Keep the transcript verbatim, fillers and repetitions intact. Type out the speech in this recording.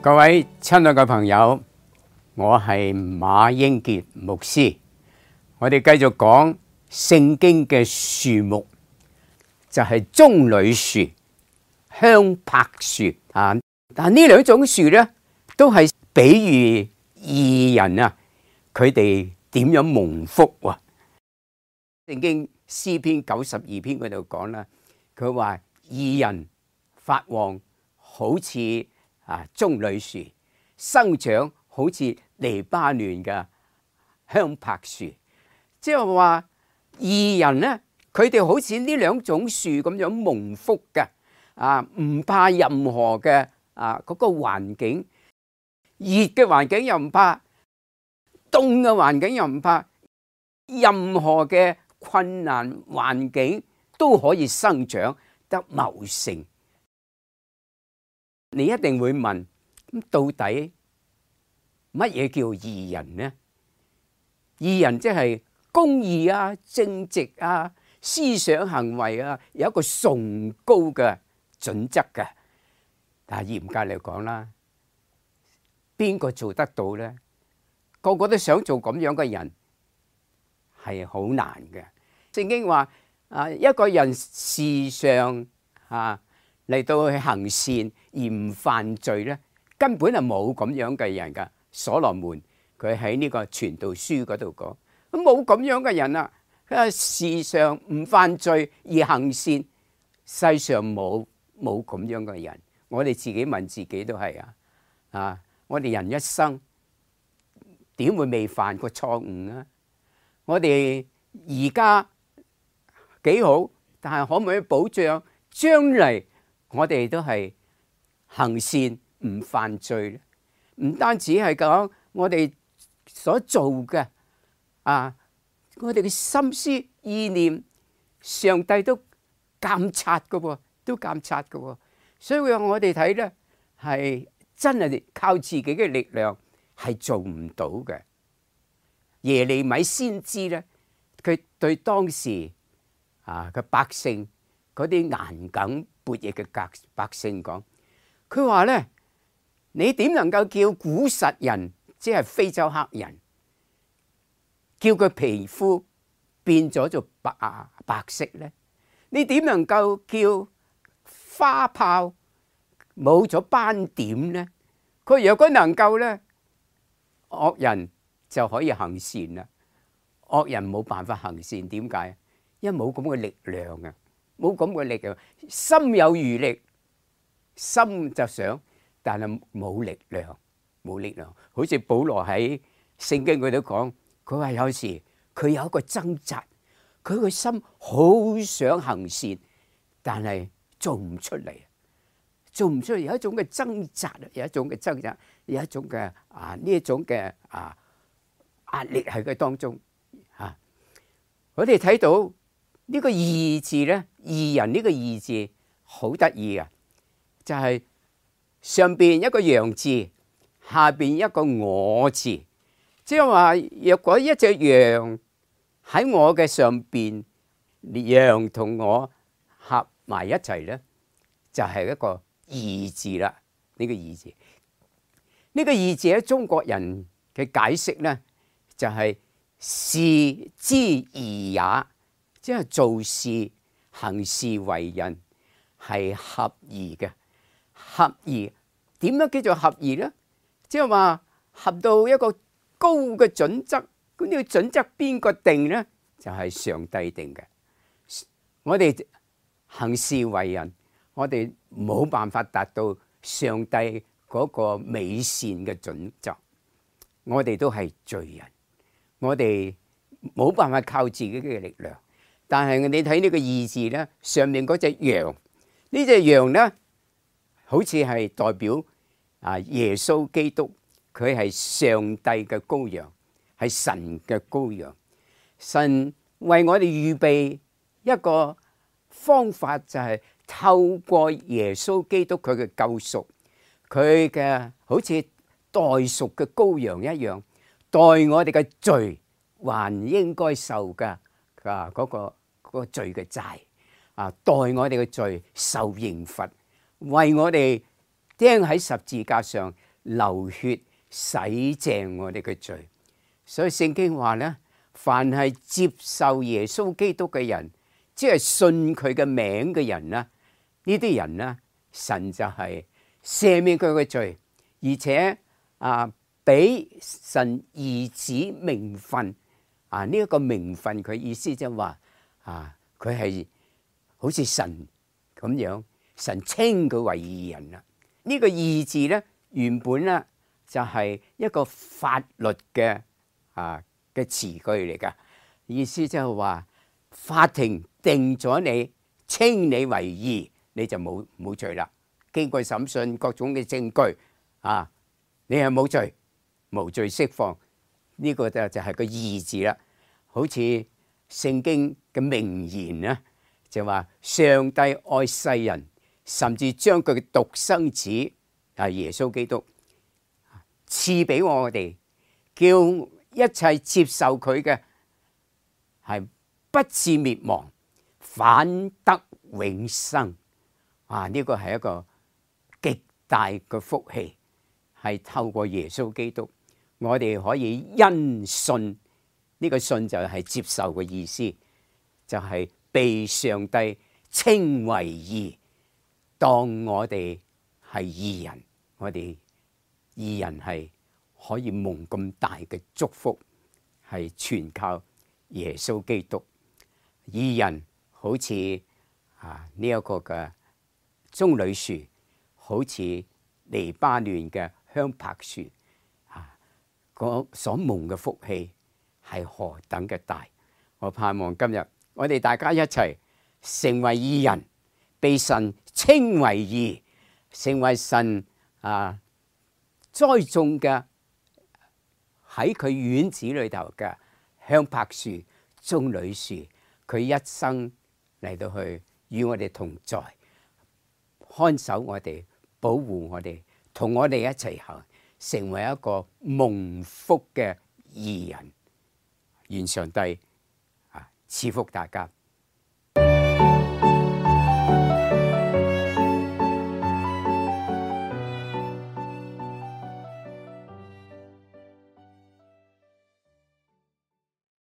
各位親愛嘅朋友，我係馬英傑牧師。我哋繼續講聖經嘅樹木，就係棕櫚樹、香柏樹啊。但呢兩種樹咧，都係比喻義人啊，佢哋點樣蒙福啊。聖經詩篇九十二篇嗰度講啦，佢話義人發旺，好似啊棕櫚樹，生長好似黎巴嫩嘅香柏樹，即係話義人咧，佢哋好似呢兩種樹咁樣蒙福嘅，啊唔怕任何嘅啊嗰個環境，熱嘅環境又唔怕，凍嘅環境又唔怕，任何嘅困難環境都可以生長得茂盛。你一定會問，咁到底乜嘢叫義人呢？義人即係公義啊、正直啊、思想行為啊，有一個崇高嘅準則嘅。但係嚴格嚟講啦，邊個做得到呢？個個都想做咁樣嘅人，係好難嘅。聖經話啊，一個人時常啊嚟到去行善而唔犯罪咧，根本係冇咁樣嘅人噶。所羅門佢喺呢個傳道書嗰度講，咁冇咁樣嘅人啊。佢話時常唔犯罪而行善，世上冇冇咁樣嘅人。我哋自己問自己都係啊，啊，我哋人一生點會未犯過錯誤啊？我哋而家幾好，但係可唔可以保障將嚟我哋都係行善唔犯罪咧？唔單止係講我哋所做嘅啊，我哋嘅心思意念，上帝都監察嘅喎，都監察嘅喎。所以我哋睇咧，係真係靠自己嘅力量係做唔到嘅。耶利米先知咧，佢對當時啊嘅百姓嗰啲顏梗悖逆嘅百百姓講，佢話咧：你點能夠叫古實人，即係非洲黑人，叫佢皮膚變咗做白白色咧？你點能夠叫花豹冇咗斑點咧？佢若果能夠咧，惡人就可以行善啦。惡人冇辦法行善，點解？因為冇咁嘅力量啊，冇咁嘅力量，心有餘力，心就想，但係冇力量，冇力量。好似保羅喺聖經佢都講，佢話有時佢有一個掙扎，佢個心好想行善，但係做唔出嚟，做唔出嚟，有一種嘅掙扎，有一種嘅掙扎，有一種嘅啊呢一種嘅啊壓力喺佢當中嚇。我哋睇到呢個義字咧，義人呢個義字好得意啊，就係上邊一個羊字，下邊一個我字，即係話若果一隻羊喺我嘅上邊，羊同我合埋一齊咧，就係一個義字啦。呢個義字，呢個義字喺中國人嘅解釋咧，就係事之義也，即係做事行事為人係合宜嘅。合宜點樣叫做合宜咧？即係話合到一個高嘅準則。咁呢個準則邊個定咧？就係上帝定嘅。我哋行事為人，我哋冇辦法達到上帝嗰個美善嘅準則。我哋都係罪人，我哋冇辦法靠自己嘅力量。但係你睇呢個義字咧，上面嗰隻羊，呢隻羊咧，好似係代表啊耶穌基督，佢係上帝嘅羔羊，係神嘅羔羊。神為我哋預備一個方法，就係透過耶穌基督佢嘅救贖，佢嘅好似代贖嘅羔羊一樣，代我哋嘅罪還應該受嘅啊嗰個嗰個罪嘅債啊，代我哋嘅罪受刑罰，為我哋釘喺十字架上流血洗淨我哋嘅罪。所以聖經話咧，凡係接受耶穌基督嘅人，即係信佢嘅名嘅人啦，呢啲人咧，神就係赦免佢嘅罪，而且啊，俾神兒子名分啊！呢、這、一個名分，佢意思就係話啊，佢係好似神咁樣，神稱佢為義人啦。呢、這個義字咧，原本咧就係一個法律嘅啊嘅詞句嚟噶，意思就係話法庭定咗你，稱你為義，你就冇冇罪啦。經過審訊各種嘅證據啊，你係冇罪，無罪釋放。呢、這個就就係個義字啦。好似聖經嘅名言咧，就話上帝愛世人，甚至將佢嘅獨生子啊耶穌基督賜俾我哋，叫一切接受佢嘅係不至滅亡，反得永生。啊！呢、這個係一個極大嘅福氣，係透過耶穌基督，我哋可以因信。呢、這個信就係接受嘅意思，就係、是、被上帝稱為義，當我哋係義人，我哋義人係可以蒙咁大嘅祝福，係全靠耶穌基督。義人好似啊呢一個嘅棕櫚樹，好似黎巴嫩嘅香柏樹，啊，嗰所蒙嘅福氣係何等嘅大！我盼望今日我哋大家一齊成為義人，被神稱為義，成為神啊栽種嘅喺佢院子裏頭嘅香柏樹、棕櫚樹，佢一生嚟到去與我哋同在，看守我哋，保護我哋，同我哋一齊行，成為一個蒙福嘅義人。願上帝啊賜福大家。